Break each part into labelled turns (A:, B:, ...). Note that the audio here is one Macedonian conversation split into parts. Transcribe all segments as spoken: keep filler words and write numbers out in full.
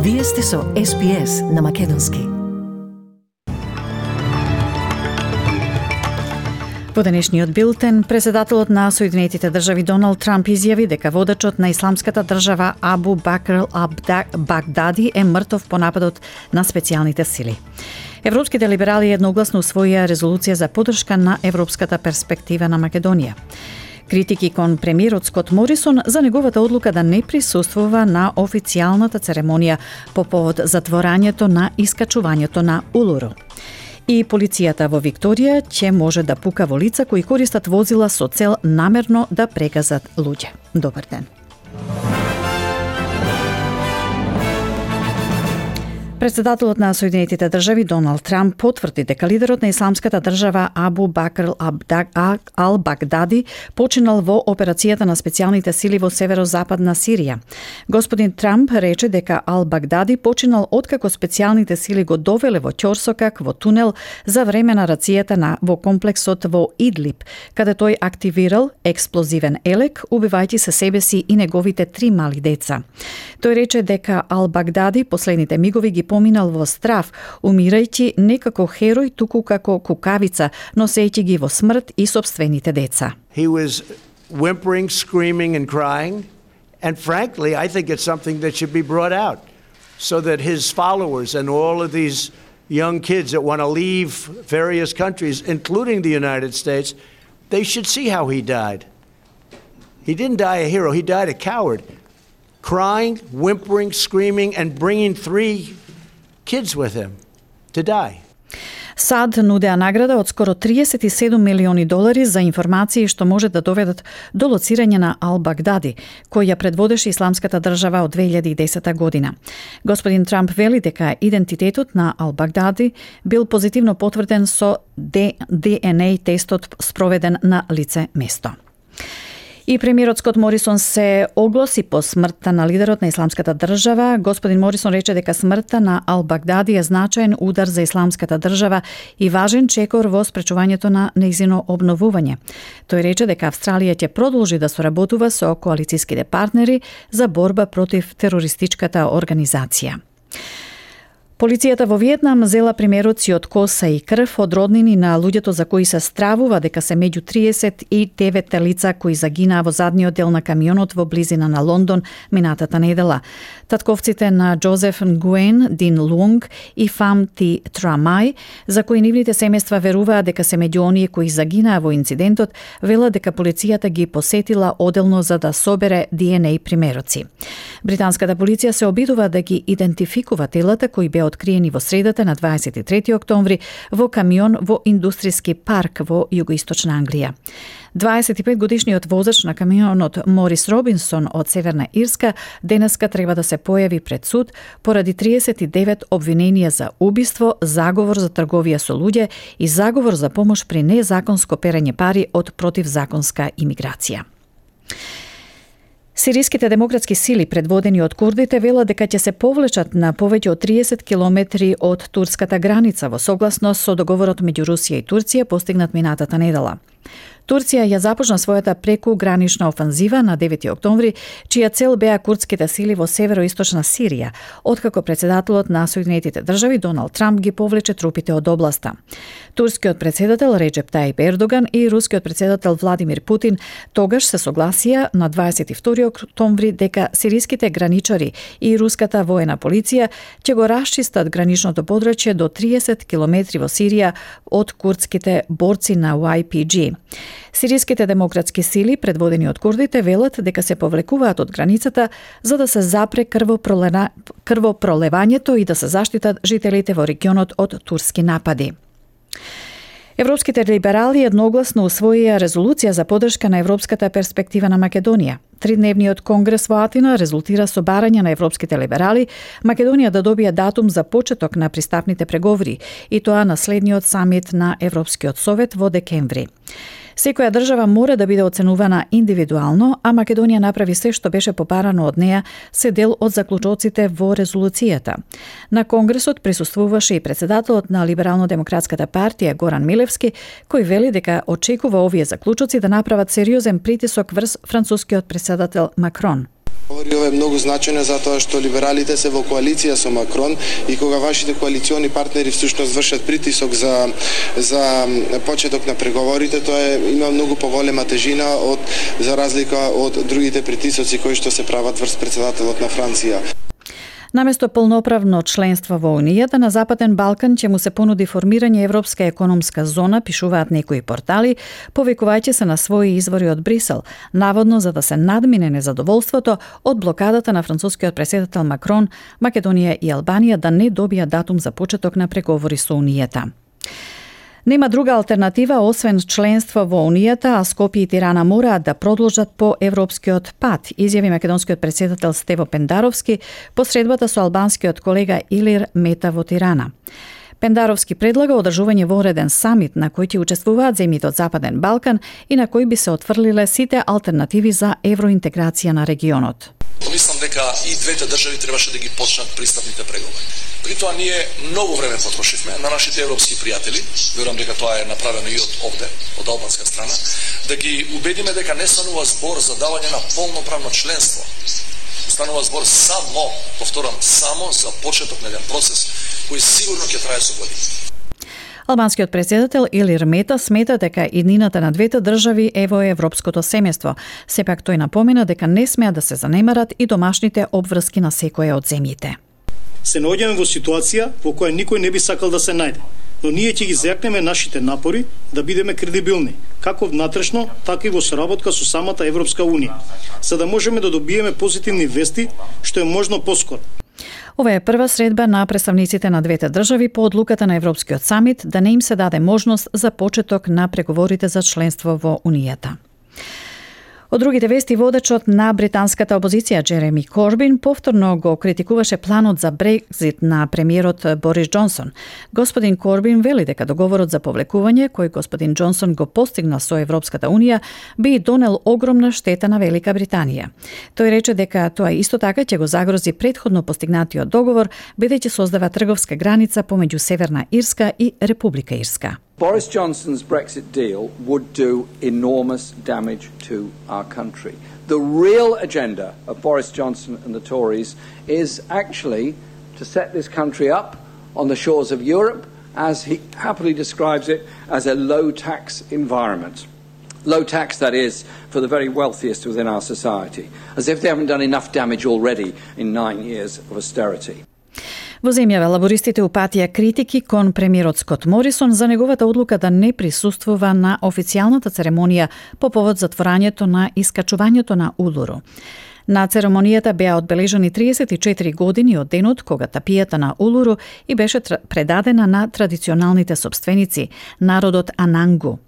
A: Вие сте со Ес Би Ес на Македонски. Во денешниот билтен, председателот на Соединетите држави Доналд Трамп изјави дека водачот на исламската држава Абу Бакр ал-Багдади е мртов по нападот на специјалните сили. Европските либерали едногласно усвоија резолуција за поддршка на европската перспектива на Македонија. Критики кон премиерот Скот Морисон за неговата одлука да не присуствува на официјалната церемонија по повод затворањето на искачувањето на Улуру. И полицијата во Викторија ќе може да пука во лица кои користат возила со цел намерно да прегазат луѓе. Добар ден. Председателот на Соединетите држави Доналд Трамп потврди дека лидерот на исламската држава Абу Бакр ал-Багдади починал во операцијата на специјалните сили во северозападна Сирија. Господин Трамп рече дека ал-Багдади починал откако специјалните сили го довеле во ќорсокак во тунел за време на рацијата на во комплексот во Идлиб, каде тој активирал експлозивен елек, убивајќи се себе си и неговите три мали деца. Тој рече дека ал-Багдади последните мигови ги поминал во страв, умирајќи не како херој, туку како кукавица, носејќи ги во смрт и сопствените деца.
B: He was whimpering, screaming and crying, and frankly, I think it's something that should be brought out so that his followers and all of these young kids that want to leave various countries, including the United States, they should see how he died. He didn't die a hero, he died a coward. Crying, whimpering, screaming and bringing three kids with him to die.
A: САД нудеа награда од скоро триесет и седум милиони долари за информации што може да доведат до лоцирање на ал-Багдади, кој ја предводеше исламската држава од две илјади и десета година. Господин Трамп вели дека идентитетот на ал-Багдади бил позитивно потврден со Ди Ен Ей тестот спроведен на лице место. И премиерот Скот Морисон се огласи по смртта на лидерот на исламската држава. Господин Морисон рече дека смртта на ал-Багдади е значаен удар за исламската држава и важен чекор во спречувањето на нејзино обновување. Тој рече дека Австралија ќе продолжи да соработува со коалицијските партнери за борба против терористичката организација. Полицијата во Виетнам зела примероци од коса и крв од роднини на луѓето за кои се стравува дека се меѓу триесет и девет лица кои загинаа во задниот дел на камионот во близина на Лондон минатата недела. Татковците на Джозеф Нгуен Дин Лунг и Фам Ти Трамај, за кои нивните семејства веруваат дека се меѓу оние кои загинаа во инцидентот, велат дека полицијата ги посетила оделно за да собере Ди Ен Ей примероци. Британската полиција се обидува да ги идентификува телата кои беа откриени во средата на дваесет и трети октомври во камион во индустријски парк во југоисточна Англија. дваесет и пет годишниот возач на камионот Морис Робинсон од Северна Ирска денеска треба да се појави пред суд поради триесет и девет обвиненија за убиство, заговор за трговија со луѓе и заговор за помош при незаконско перење пари од противзаконска имиграција. Сириските демократски сили, предводени од курдите, велат дека ќе се повлечат на повеќе од триесет километри од турската граница во согласност со договорот меѓу Русија и Турција постигнат минатата недела. Турција ја започна својата прекугранична офанзива на девети октомври, чија цел беа курдските сили во североисточна Сирија, откако председателот на Соединетите држави Доналд Трамп ги повлече трупите од областа. Турскиот председател Реджеп Тајип Ердоган и рускиот председател Владимир Путин тогаш се согласија на дваесет и втори октомври дека сириските граничари и руската воена полиција ќе го расчистат граничното подрачје до триесет километри во Сирија од курдските борци на Уај Пи Џи. Сириските демократски сили, предводени од курдите, велат дека се повлекуваат од границата за да се запре крвопролевањето и да се заштитат жителите во регионот од турски напади. Европските либерали едногласно усвоија резолуција за поддршка на европската перспектива на Македонија. Тридневниот конгрес во Атина резултира со барање на европските либерали Македонија да добие датум за почеток на пристапните преговори, и тоа на следниот самит на Европскиот совет во декември. Секоја држава мора да биде оценувана индивидуално, а Македонија направи се што беше попарано од неа, се дел од заклучоците во резолуцијата. На конгресот присуствуваше и председателот на Либерално-демократската партија Горан Милевски, кој вели дека очекува овие заклучоци да направат сериозен притисок врз францускиот председател Макрон.
C: Ова е многу значајно затоа што либералите се во коалиција со Макрон и кога вашите коалициони партнери всушност вршат притисок за за почеток на преговорите, тоа е, има многу поголема тежина од за разлика од другите притисоци кои што се прават врз председателот на Франција.
A: Наместо полноправно членство во Унијата, на Западен Балкан ќе му се понуди формирање Европска економска зона, пишуваат некои портали, повикувајќи се на своји извори од Брисел, наводно за да се надмине незадоволството од блокадата на францускиот претседател Макрон, Македонија и Албанија да не добија датум за почеток на преговори со Унијата. Нема друга алтернатива освен членство во Унијата, а Скопје и Тирана мораат да продолжат по европскиот пат, изјави македонскиот претседател Стево Пендаровски по средбата со албанскиот колега Илир Мета во Тирана. Пендаровски предлага одржување вореден самит на кој ќе учествуваат земјите од Западен Балкан и на кој би се отфрлиле сите алтернативи за евроинтеграција на регионот.
D: Мислам дека и двете држави требаше да ги почнат пристапните преговори. При тоа ние многу време потрошивме на нашите европски пријатели, верувам дека тоа е направено и од овде, од албанска страна, да ги убедиме дека не станува збор за давање на полноправно членство. Станува збор само, повторам, само за почеток на еден процес кој сигурно ќе трае со години.
A: Албанскиот претседател Илир Мета смета дека иднината на двете држави е во европското семејство. Сепак тој напомена дека не смеа да се занемарат и домашните обврски на секоја од земјите.
E: Се наоѓаме во ситуација во која никој не би сакал да се најде, но ние ќе ги зекнеме нашите напори да бидеме кредибилни, како внатрешно, така и во соработка со самата Европска Унија, за да можеме да добиеме позитивни вести што е можно поскоро.
A: Ова е прва средба на представниците на двете држави по одлуката на Европскиот самит да не им се даде можност за почеток на преговорите за членство во Унијата. Од другите вести, водачот на британската опозиција Джереми Корбин повторно го критикуваше планот за Брекзит на премиерот Борис Џонсон. Господин Корбин вели дека договорот за повлекување, кој господин Џонсон го постигна со Европската Унија, би донел огромна штета на Велика Британија. Тој рече дека тоа исто така ќе го загрози претходно постигнатиот договор, бидејќи создава трговска граница помеѓу Северна Ирска и Република Ирска.
F: Boris Johnson's Brexit deal would do enormous damage to our country. The real agenda of Boris Johnson and the Tories is actually to set this country up on the shores of Europe, as he happily describes it, as a low-tax environment. Low tax, that is, for the very wealthiest within our society, as if they haven't done enough damage already in nine years of austerity.
A: Во земјава лабористите упатија критики кон премиерот Скот Морисон за неговата одлука да не присуствува на официјалната церемонија по повод затворањето на искачувањето на Улуру. На церемонијата беа одбележани триесет и четири години од денот кога тапијата на Улуру и беше предадена на традиционалните собственици, народот Анангу.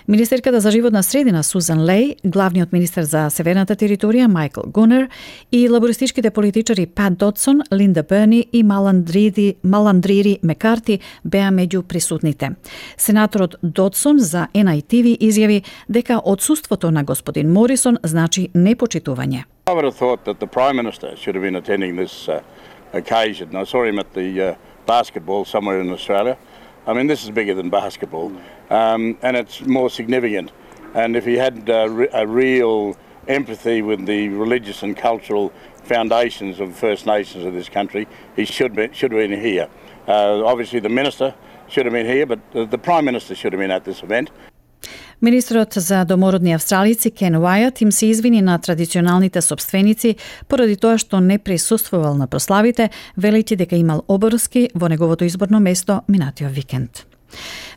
A: Министерката за животна средина Сузан Леј, главниот министер за северната територија Майкл Гунер и лабористичките политичари Пат Додсон, Линда Берни и Маландрири, Маландрири Мекарти беа меѓу присутните. Сенаторот Додсон за Ен Ај Ти Ви изјави дека отсуството на господин Морисон значи непочитување.
G: I would have thought that the Prime Minister should have been attending this uh, occasion. I saw him at the uh, basketball somewhere in Australia. I mean, this is bigger than basketball, um, and it's more significant. And if he had uh, re- a real empathy with the religious and cultural foundations of First Nations of this country, he should be, should have been here. Uh, obviously, the Minister should have been here, but the, the Prime Minister should have been at this event.
A: Министрот за домородни австралици Кен Уајат им се извини на традиционалните собственици поради тоа што не присуствувал на прославите, велејќи дека имал обврски во неговото изборно место минатиот викенд.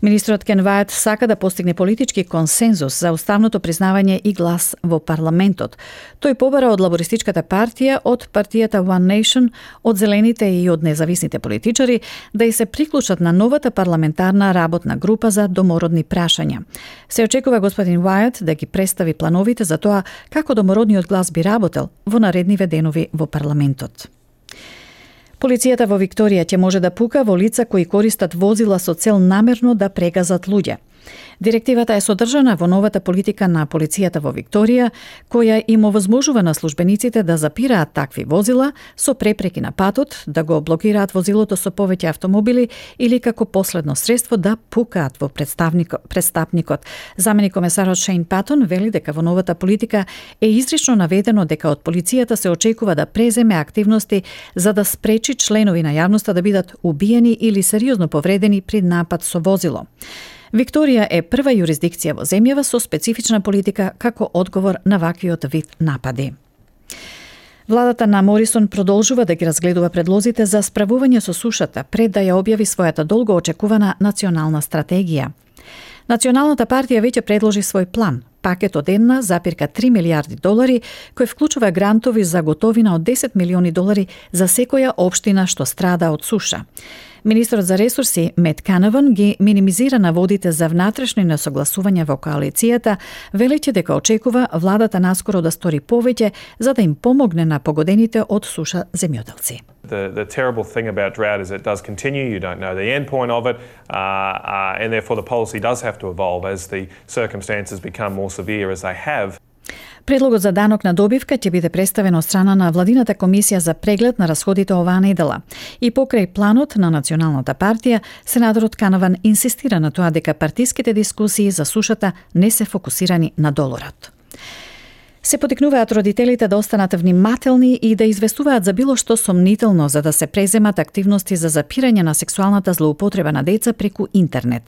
A: Министрот Кен Уајат сака да постигне политички консензус за уставното признавање и глас во парламентот. Тој побара од лабористичката партија, од партијата One Nation, од зелените и од независните политичари да и се приклучат на новата парламентарна работна група за домородни прашања. Се очекува господин Уајат да ги представи плановите за тоа како домородниот глас би работел во наредниве денови во парламентот. Полицијата во Викторија ќе може да пука во лица кои користат возила со цел намерно да прегазат луѓе. Директивата е содржана во новата политика на полицијата во Викторија, која им овозможува на службениците да запираат такви возила со препреки на патот, да го блокираат возилото со повеќе автомобили или како последно средство да пукаат во престапникот. Заменик комесарот Шейн Патон вели дека во новата политика е изрично наведено дека од полицијата се очекува да преземе активности за да спречи членови на јавноста да бидат убиени или сериозно повредени при напад со возило. Викторија е прва јурисдикција во земјава со специфична политика како одговор на ваквиот вид напади. Владата на Морисон продолжува да ги разгледува предлозите за справување со сушата пред да ја објави својата долго очекувана национална стратегија. Националната партија веќе предложи свој план, пакет од една запирка три милијарди долари, кој вклучува грантови за готовина од десет милиони долари за секоја општина што страда од суша. Министрот за ресурси Мет Канаван ги минимизира наводите за внатрешни несогласувања во коалицијата, велејќи дека очекува владата наскоро да стори повеќе за да им помогне на погодените од суша земјоделци.
H: The, the terrible thing about drought is it does continue. You don't know the end point of it, uh, uh, and therefore the policy does have to evolve as the circumstances become more severe as they have.
A: Предлогот за данок на добивка ќе биде представен од страна на Владината комисија за преглед на расходите оваа недела. И покрај планот на Националната партија, сенаторот Канаван инсистира на тоа дека партиските дискусии за сушата не се фокусирани на доларот. Се потикнуваат родителите да останат внимателни и да известуваат за било што сомнително за да се преземат активности за запирање на сексуалната злоупотреба на деца преку интернет.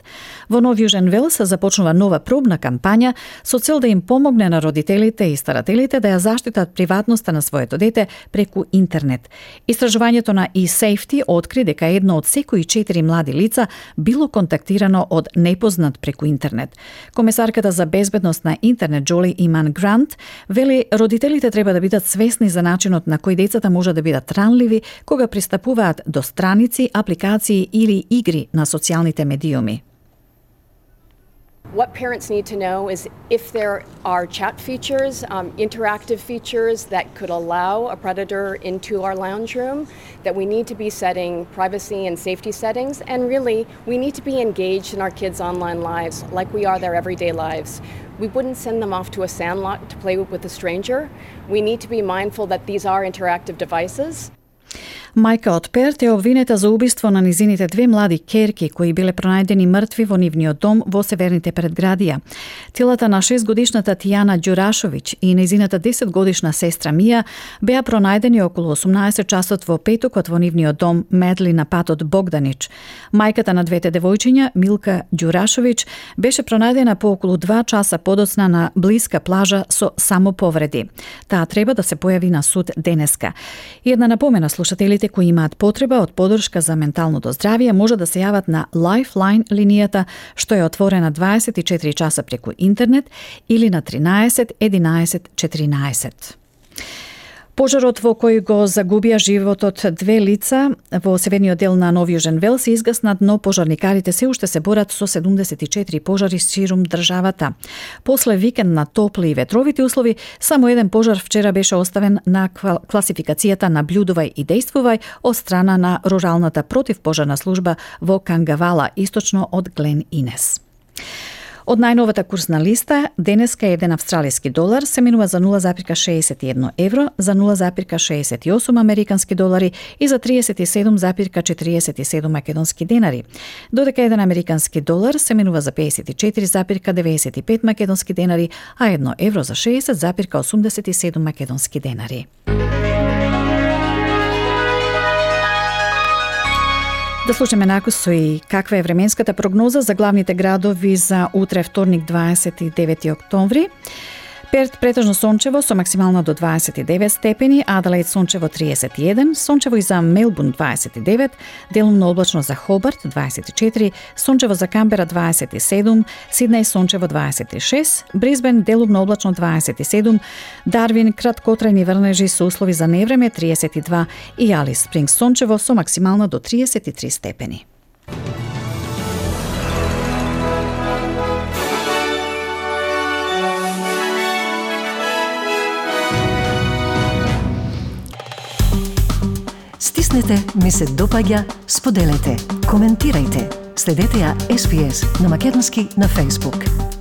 A: Во Нов Јужен Велс започнува нова пробна кампања со цел да им помогне на родителите и старателите да ја заштитат приватноста на своето дете преку интернет. Истражувањето на eSafety откри дека едно од секои четири млади лица било контактирано од непознат преку интернет. Комесарката за безбедност на интернет Джоли Иман Грант вели родителите треба да бидат свесни за начинот на кој децата може да бидат ранливи кога пристапуваат до страници, апликации или игри на социјалните медиуми.
I: What parents need to know is if there are chat features, um, interactive features that could allow a predator into our lounge room, that we need to be setting privacy and safety settings, and really we need to be engaged in our kids' online lives like we are their everyday lives. We wouldn't send them off to a sandlot to play with a stranger. We need to be mindful that these are interactive devices.
A: Мајка од Перт е обвинета за убиство на низините две млади керки кои биле пронајдени мртви во нивниот дом во северните предградија. Телата на шестгодишната Тијана Ѓурашовиќ и низината десетгодишна сестра Мија беа пронајдени околу осумнаесет часот во петокот во нивниот дом Медли на патот Богданич. Мајката на двете девојчиња, Милка Ѓурашовиќ, беше пронајдена по околу два часа подоцна на блиска плажа со самоповреди. Таа треба да се појави на суд денеска. И една напомена слушателите кои имаат потреба од подршка за менталното здравје може да се јават на Lifeline линијата што е отворена дваесет и четири часа преку интернет или на тринаесет единаесет четиринаесет. Пожарот во кој го загубија животот две лица во северниот дел на Нов Јужен Велс се изгаснат, но пожарникарите се уште се борат со седумдесет и четири пожари ширум државата. После викенд на топли и ветровити услови, само еден пожар вчера беше оставен на класификацијата наблюдувај и дејствувај од страна на руралната противпожарна служба во Кангавала, источно од Глен Инес. Од најновата курсна листа, денеска еден австралиски долар се менува за нула запирка шеесет и едно евро, за нула запирка шеесет и осум американски долари и за триесет и седум запирка четириесет и седум македонски денари. Додека еден американски долар се менува за пеесет и четири запирка деветдесет и пет македонски денари, а едно евро за шеесет запирка осумдесет и седум македонски денари. Да слушаме накусо и каква е временската прогноза за главните градови за утре вторник дваесет и девети октомври. Перт претежно сончево со максимално до дваесет и девет степени, Аделаид сончево триесет и еден, сончево и за Мелбурн дваесет и девет, делумно облачно за Хобарт дваесет и четири, сончево за Камбера дваесет и седум, Сиднеј сончево дваесет и шест, Брисбен делумно облачно дваесет и седум, Дарвин краткотрајни врнежи со услови за невреме триесет и два и Алис Спрингс сончево со максимално до триесет и три степени.
J: Стиснете, ми се допаѓа, споделете, коментирајте. Следете ја Ес Би Ес на македонски на Facebook.